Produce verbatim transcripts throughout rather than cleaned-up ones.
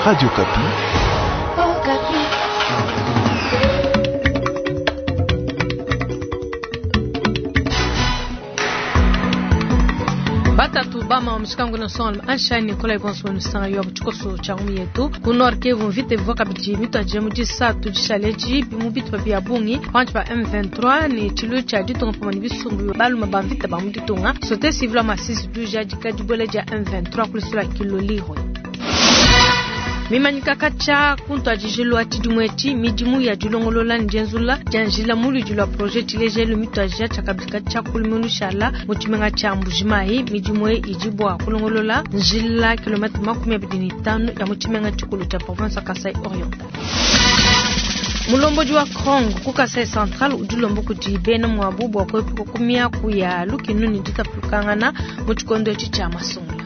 Radio Okapi. Batatu bama mushikangu na son ansha Nicolas Bonso nusanga yo chikoso cha ngumi yetu ku Nord Kivu mvite bivua kabidi mitwaje mu disatu dishaleji mu bitupa bia bungi panshi pa M vingt-trois ni tshilu tshia ditunga pamue ne bisumbu baluma ba mvita ba mu ditunga société civile Masisi duja dika dibuela dia M vingt-trois kulisula Kilolirwe. Mimanyika kacha kuntu ajijilwa tshidimwe midimu ya dilongolola njenzula janjila muludi lwa projet tshilejelu mitwaja tshakabika tshia kulimunu shala mu tshimenga tshia Mbujimayi midimu idi bua kulongolola njila kilomètre makumi abidi ne tanu ya mu tshimenga tshikulu tshia province ya Kasai Oriental. Mulombodi wa Krongo ku Kasai Central udi ulomba kudi bena muabu bua kuepuka ku miaku ya lukinu ne ditapulukangana mu tshikondo etshi tshia masungula.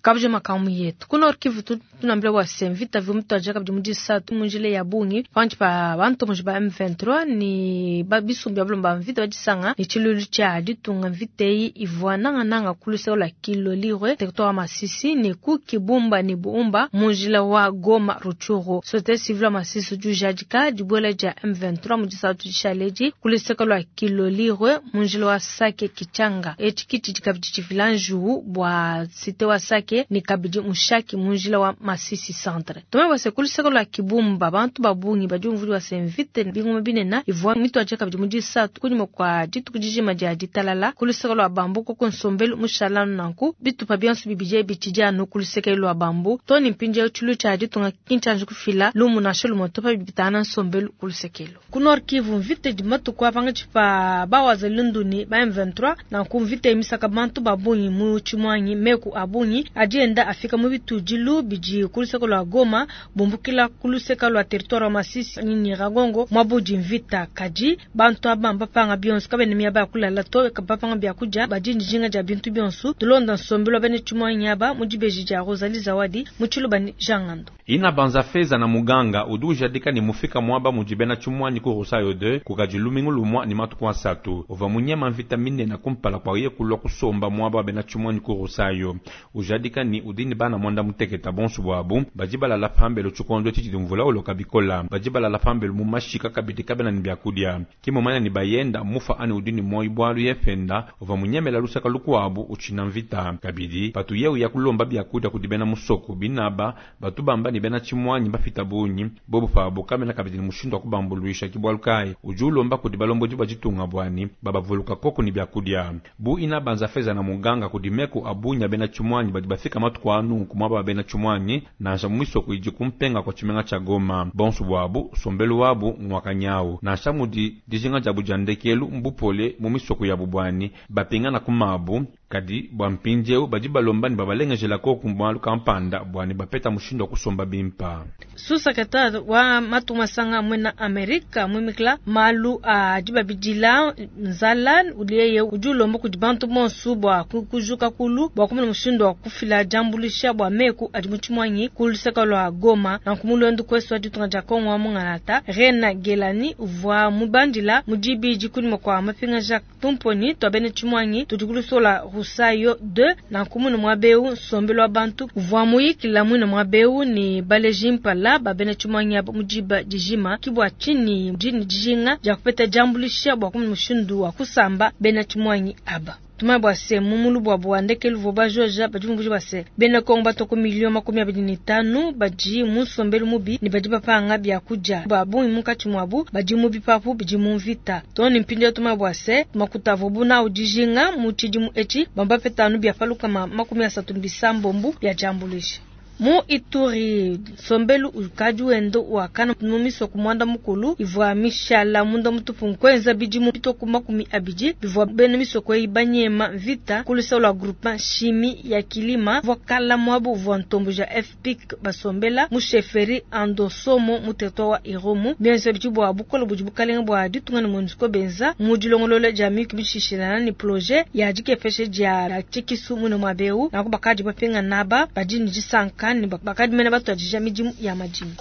Kabuje makamu yetu. Ku Nord Kivu tu tunambila wa se mvita vyo mtu ajaka bidi mudi satu munjile ya bungi panchi pa bantu muji ba M vingt-trois ni ba bisumbi ya bulomba mvita badisanga ni tshilulu tshia ditunga mvita eyi ivua nanga nanga kuluse la Kilolirwe territoire wa Masisi ni ku Kibumba ni Buumba munjila wa Goma Rutshuru. Société civile ya Masisi jujadika dibuela dia M vingt-trois mudi satu dishaleji kuluse la Kilolirwe munjila wa Sake Kichanga. Etshi kiti dikabidi tshifila njuwu bua cité wa Sake ni kabidi mushaki munjila wa Masisi centre. Tome base kuliseko la Kibumba bantu babungi badi umvuli wa semvite bingoma binena ivua mitu aje kabidi mudi satu kunyuma kwa dituku dijima dia ditalala kuliseko la bambu ko konsombelu mushalanu nanku bitupa bionso bibije bitijano kuliseko la bambu toni mpinje chulu cha ditunga kinchanje kufila lumu na shelu motopa bibitana nsombelu kulisekelo. Ku Nord Kivu mvite di matuku apanga chipa bawaza lunduni ba M vingt-trois nanku mvite emisaka bantu babungi mu chimwanyi meku abungi adienda afika mu bitudilu bidi kuluseka lwa Goma bumbukila kuluseka lwa territoire wa Masisi ni Nyiragongo mwabudi mvita kadi bantu abamba panga bionso kabene miaba kulala to kapapanga bya kuja badi njinga ja bintu bionso tulonda nsombelo bene chimwanyi aba mu dibeji ja Rosalie Zawadi mu tshiluba ni Jangando. Ina banza feza na muganga uduja dika ni mufika mwaba mujibena chumwanyi ku Rusayo deux kukajilumingu lumwa ni matuku asatu uva munyema mvita mine na kumpala kwa ye kulwa kusomba mwaba bena chumwanyi ku Rusayo ujadika ni udini bana mwanda muteketa bonso bwabu bajibala la pambelo chukondo titi mvula uloka bikola bajibala la pambelo mu mashika kabidi kabena ni byakudia kimomanya ni bayenda mufa ani udini moyi bwalu yefenda uva munyemela lusaka lukwabu uchina mvita kabidi patu yeu ya kulomba byakudia kudibena musoko binaba batu bamba ni bena chimwanyi bafita bunyi bobu pabo kamena kabidi ni mushindo wa kubambuluisha kibwalu kai ujulomba kudibalombo jiba jitunga bwani babavuluka koko ni byakudia bu ina banza feza na muganga kudimeko abunya bena chimwanyi badi bafika matuku anu kumwaba bena chimwanyi nansha mwiso kuiji kumpenga kwa chimenga cha Goma bonso bwabu sombelu wabu mwakanyau nansha mudi dijinga jabu jandekelu mbupole mu misoko ya bubwani bapingana kumabu kadi bwa mpinjeu badi balomba ni babalengejela ko kumbwalu kampanda bwani bapeta mushindo wa kusomba bimpa. Sous-secrétaire wa matuma sanga mwena Amerika mwimikla malu a dibabidila nzala uliye ujulomba kudi bantu bonso bwa kujuka kulu bwa kumuna mushindo wa kufila jambulisha bwa meku adi muchimwanyi kuluseka lwa Goma na kumulwendu kwesu adi tunga ja Kongo wa mungalata Rena Gelani uvwa mubandila mujibi jikulima kwa mapinga ja tumponi twabene chimwanyi tudikulusola Rusayo deux na kumuna mwabeu sombelo abantu uvwa muyikila mwina mwabeu ni baleji mpala babene chimwanyi abo mujiba dijima kibwa chini jini dijinga ja kupeta jambulisha bwa kumuna mushindu wa kusamba bena chimwanyi aba. Tuma bwa se mumulu bwa bwa ndekelu voba joja badi mbuji bwa se bena Kongo batoko milioni makumi abiri ni tanu badi musombelu mubi ni badi bapanga bya kuja ba bungi munkatshi mwabu badi mubi papu bidi mu mvita toni mpindia tuma bwa se makuta vobu na udijinga mu tshidimu etshi bamba petanu bya paluka ma makumi asatu bisambombu bya jambulisha. Mu Ituri sombelu ukadi wendo wakana mumiso kumwanda mukulu ivwa mishala munda mutupu nkwenza bidimu bitoko makumi abidi bivwa bene misoko ibanyema vita kulisa la groupement chimie ya kilima vwa kala mwabo vwa ntombo ja F P C basombela mu chefferie Andosomo mu territoire wa Irumu bienza bidi bwa bukolo budi bukalenga bwa ditunga ne MONUSCO benza mu dilongolola dia miki bishishilana ni projet ya dikepeshe dia tshikisu mune mwabeu na kubakadi bapinga naba badi ni disanka ni bakadi mena batu adija midimu ya madimi.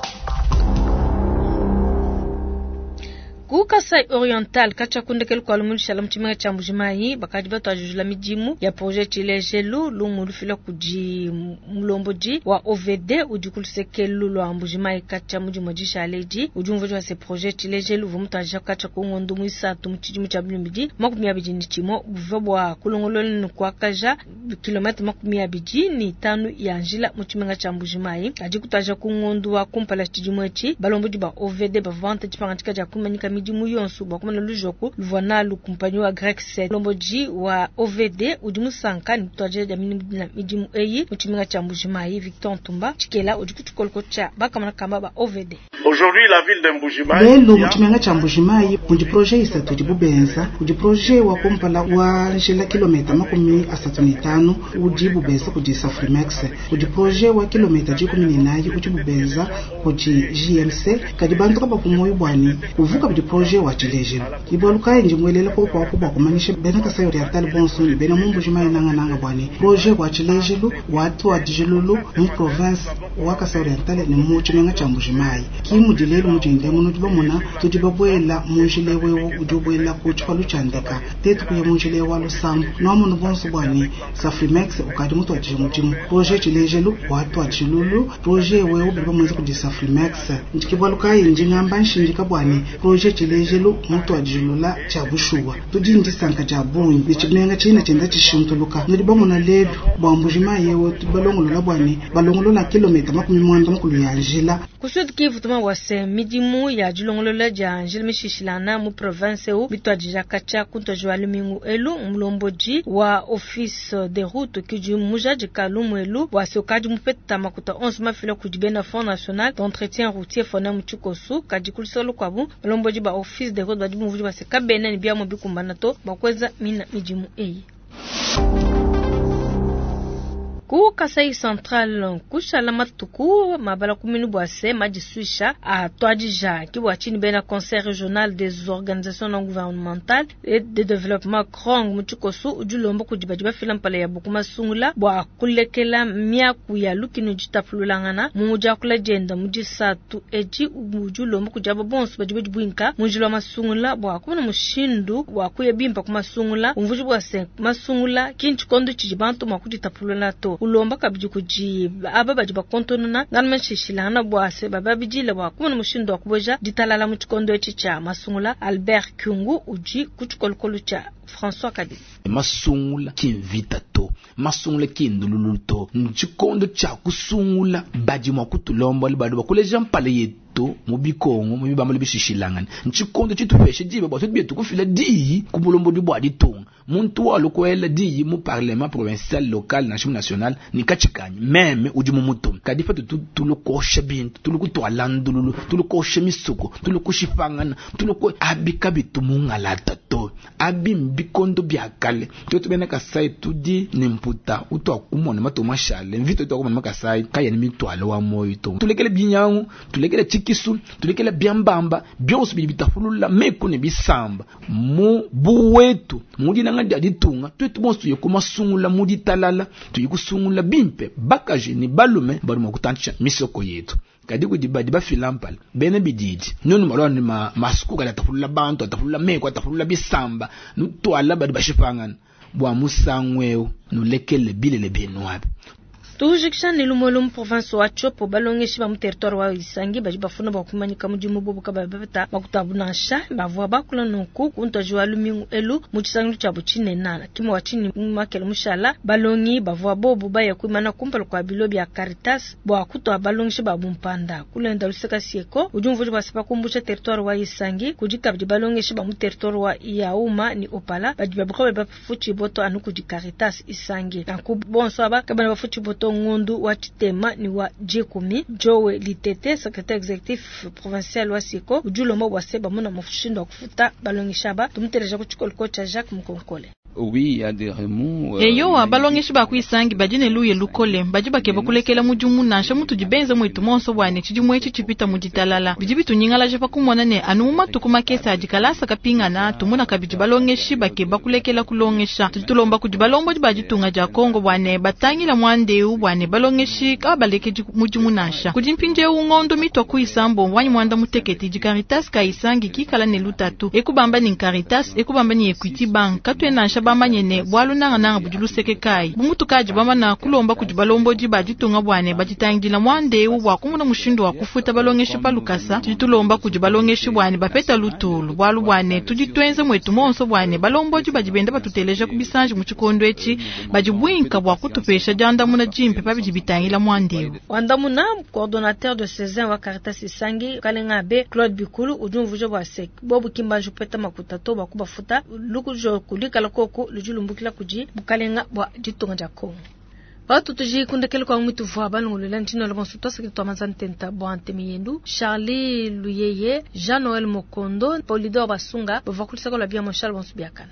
Ku Kasai Oriental katshia ku ndekelu kua lumingu lushala mu tshimenga tshia Mbuji-Mayi bakadi batuadijilula midimu ya projet Tshilejelu lumu lufila kudi mulombodi wa O V D udi ku lusekelu lua Mbuji-Mayi katshia mu dimue dishala edi. Udi umvuija bua se projet Tshilejelu uvua mutuadija katshia ku ngondo muisatu mu tshidimu tshia bibidi makumi abidi ne tshimue buvua bua kulongolola ne kuakaja kilomètre makumi abidi ne itanu ya njila mu tshimenga tshia Mbuji-Mayi. Kadi kutuadija ku ngondo wa kumpala tshidimu etshi balombodi ba O V D bavua bangata dipangadika dia kumanyika midimu yonso bua kumana lujoku luvua nalu kumpanyi wa Grec sept. Mulombodi wa O V D udi musanka ne kutuadija dia midimu eyi mu tshimenga tshia Mbuji-Mayi. Victor Ntumba Tshikela udi ku tshikoloko tshia bakamana kamba ba O V D. Aujourd'hui la ville de Mbuji-Mayi lelo mu tshimenga tshia Mbuji-Mayi kudi projet isatu idi bubenza kudi projet wa kumpala wa njila kilomita makumi asatu ne tanu udi bubenza kudi Safrimex kudi projet wa kilomita dikumi ne nayi udi bubenza kudi J M C kadi bantu kabapu moyo bwani kuvuka bidi projet wa Tshilejelu ibwalu kayi ndi mwelela ko kwa kuba kumanyisha bena Kasai Oriental bonso ne bena mu Mbuji-Mayi nanga nanga bwani projet wa Tshilejelu watu wa Dijilulu mu province wa Kasai Oriental ne mu tshimenga tshia Mbuji-Mayi ki mudi lelu mudinde muno tudi bamona tudi babwela mu njila wewu udi ubwela ku tshipalu tshia ndeka tetu kuya mu njila wa lusambu nomuno bonso bwani Safrimex ukadi mutuadije mudimu projet Tshilejelu watu wa Tshilulu projet wewu bidi bamuenza kudi Safrimex ndikibwalu kayi ndi ngamba nshindika bwani projet Tshilejelu mutuadijilula tshia bushuwa tudi ndisanka dia bungi ne tshimenga tshina tshienda tshishintuluka nudi bamona lelu bua Mbuji-Mayi yewe balongolola bwani balongolola kilomita makumi mwanda mukulu ya njila. Ku Sud Kivu tuma wase midimu ya dilongolola dia njila mishishilana mu province eu bituadija katshia kuntuadija wa lumingu elu mulombodi wa office de route kudi mujadika lumu elu wase ukadi mupeta makuta onso mafila kudi bena Fonds national d'entretien routier fona mu tshikosu kadi kulusolo kwabu mulombodi ba office de route badi muvudi base kabena ne biamu bikumbana to bakweza mina midimu eyi. Ku Kasai Central kushala matuku mabala kuminu bwase madisuisha a tuadija ki bwa chini bena Conseil régional des organisations non gouvernementales et de développement Krong mu tshikosu udi ulomba kudi badi bafila mpala ya buku masungula bua kulekela miaku ya lukinu ditapululangana mu diakula dienda mu disatu edi udi ulomba kudi aba bonso badi badi buinka mu njila wa masungula bua kumona mushindu wa kuya bimpa ku masungula umvuji bwase masungula ki ntshikondo tshidi bantu mua kuditapulula to. Ulomba kabidi kudi aba badi bakontonona ngana mashishilana bua se bababidile bua kumona mushindu wa kuboja ditalala mu tshikondo etshi tshia masungula. Albert Kyungu udi ku tshikolokolo tshia François Kabi. Masungula ki mvita to, masungula ki ndululu to, ntshikondo tshia kusungula badi mua kutulomba badi bakuleja mpala yetu mu bikongo mu bibambalu bishishilangana ntshikondo tshitupeshe diba bua tutu bietu kufila diyi ku bulombodi bua ditunga muntu wa lukwela diyi mu parlement provincial local national national ni katshikanyi meme udi mu mutu kadi pa tutu tulukosha bintu tulukutwala ndululu tulukosha misuko tulukushipangana tuluko abika bitu mungalata to abi mbikondo bya kale tutu bena Kasai tudi ne mputa utwa kumona mato mashale mvito utwa kumona makasai kaya ni mitwalo wa moyo to tulekele binyangu tulekele chikisu tulekele byambamba byonso bidi bitafulula meku ne bisamba mu buwetu mudi nanga dia ditunga twetu bonso tuye kumasungula mudi talala tuye kusungula bimpe bakaji ni balume bali mu kutantisha misoko yetu kadi kudi badi bafila mpala bene bididi nunu malwa ni ma masuku kala tafulula bantu atafulula meku atafulula bisamba nutwala badi bashipangana bwa musangweo nulekele bilele benu abe. Tujikisha ni lumolo mu province wa Tshopo balongeshi ba mu territoire wa Isangi badi bafuna bwa kumanyika mudimu bobo kaba bapeta bakutabu nansha bavua bakula nunku kuntoji wa lumingu elu mu tshisangilu tshia butshinena kimwe wa chini makele mushala balongi bavua bobo baya kuimana kumpala kwa bilo bya Caritas bwa kutwa balongeshi ba bumpanda kulenda luseka sieko udi umvuji bwa sepa kumbusha territoire wa Isangi kudi kabidi balongeshi ba mu territoire wa Yauma ni Opala badi babuka bafuchi boto anu kudi Caritas Isangi nanku bonso aba kabana bafuchi boto ngundu wa chitema ni wa Jekumi Joe Litete secrétaire exécutif provincial wa Siko ujulomba wa seba muna mufushindo wa kufuta balongisha ba tumuteleja ku chikolo kocha Jacques Mukonkole. Eyowa, balongeshi ba ku Isangi badi ne luya lukole, badi bakeba kulekela mudimu nansha mutudi benze muetu monso bua ne tshidimu etshi tshipita mu ditalala. Bidi bitunyingalaja pa kumona ne anu mu matuku makese adi kalasa kapingana, tumona kabidi balongeshi bakeba kulekela kulongesha. Tudi tulomba kudi balombodi ba ditunga dia Kongo bua ne batangila muanda eu bua ne balongeshi kabalekedi mudimu nansha. Kudi mpindieu ngondo mitua ku isambombo anyi muanda mutekete idi Caritas ka Isangi kikala ne lutatu. Ekubamba ni Caritas, ekubamba ni Equity Bank, katuena nansha bamanye ne bualu nangananga budi luseke kayi. Bu mutukadi bamana kulomba kudi balombodi ba ditunga bua ne baditangidila muanda eu bua kumona mushindu wa kufuta balongeshi pa lukasa. Tudi tulomba kudi balongeshi bua ne bapeta lutulu, bualu bua ne tudi tuenza muetu monso bua ne balombodi badi benda batuteleja ku bisanji mu tshikondo etshi badi buinka bua kutupesha diandamuna dimpe pa bidi bitangila muanda eu. Wandamuna coordonnateur de Césaire wa Caritas Isangi Kalenga Abe Claude Bikulu udi umvuija bua se bobu kimbanji kupeta makuta to bua kubafuta lukujo kulikala koko ludi lumbukila kudi bukalenga bua ditunga dia Kongo. Watu tuji kundekele kwa mwitu vwa balongolola ntino la bonso twasaki twamaza ntenta bwa ntemi yendu Charlie Luyeye Jean Noël Mokondo Polidor Basunga bava kulisaka la bia Moshal bonso biakana.